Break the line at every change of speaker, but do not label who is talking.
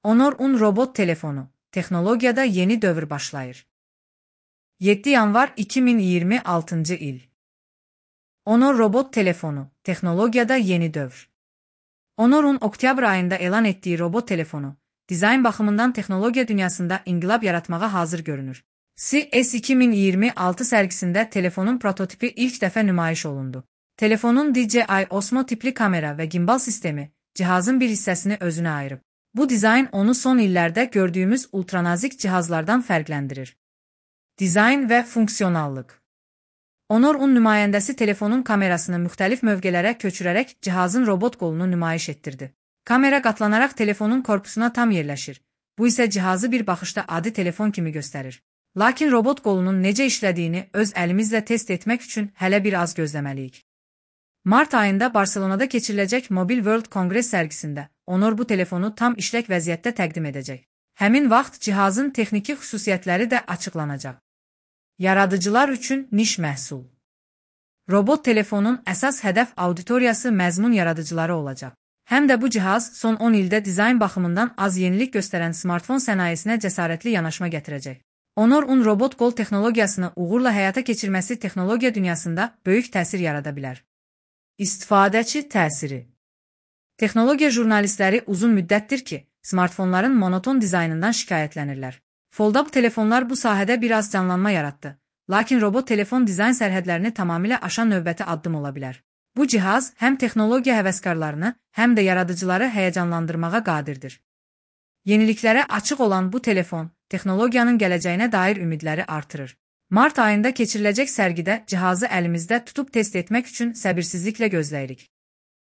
Honor 10 robot telefonu. Texnologiyada yeni dövr başlayır. 7 yanvar 2026 il. Honor robot telefonu. Texnologiyada yeni dövr. Honor'un oktyabr ayında elan ettiği robot telefonu, dizayn baxımından texnologiya dünyasında inqilab yaratmağa hazır görünür. CES 2026 sərgisində telefonun prototipi ilk dəfə nümayiş olundu. Telefonun DJI Osmo tipli kamera ve gimbal sistemi, cihazın bir hissəsini özünə ayırıb. Bu dizayn onu son illərdə gördüğümüz ultranazik cihazlardan fərqləndirir. Dizayn ve fonksiyonallıq. Honor 10 nümayəndəsi telefonun kamerasını müxtəlif mövqelərə köçürərək cihazın robot qolunu nümayiş etdirdi. Kamera qatlanaraq telefonun korpusuna tam yerləşir. Bu isə cihazı bir baxışda adi telefon kimi göstərir. Lakin robot qolunun necə işlədiyini öz əlimizlə test etmək üçün hələ bir az gözləməliyik. Mart ayında Barcelonada keçiriləcək Mobile World Congress sərgisində Honor bu telefonu tam işlək vəziyyətdə təqdim edəcək. Həmin vaxt cihazın texniki xüsusiyyətləri də açıqlanacaq. Yaradıcılar üçün niş məhsul. Robot telefonun əsas hədəf auditoriyası məzmun yaradıcıları olacaq. Həm də bu cihaz son 10 ildə dizayn baxımından az yenilik göstərən smartfon sənayesinə cəsarətli yanaşma gətirəcək. Honor 10 robot qol texnologiyasını uğurla həyata keçirməsi texnologiya dünyasında böyük təsir yarada bilər. İstifadəçi təsiri. Texnologiya jurnalistləri uzun müddətdir ki, smartfonların monoton dizaynından şikayətlənirlər. Foldab telefonlar bu sahədə biraz canlanma yaratdı. Lakin robot telefon dizayn sərhədlərini tamamilə aşan növbəti addım ola bilər. Bu cihaz həm texnologiya həvəskarlarını, həm də yaradıcıları həyəcanlandırmağa qadirdir. Yeniliklərə açıq olan bu telefon, texnologiyanın gələcəyinə dair ümidləri artırır. Mart ayında keçiriləcək sərgidə cihazı əlimizdə tutub test etmək üçün səbirsizliklə gözləyirik.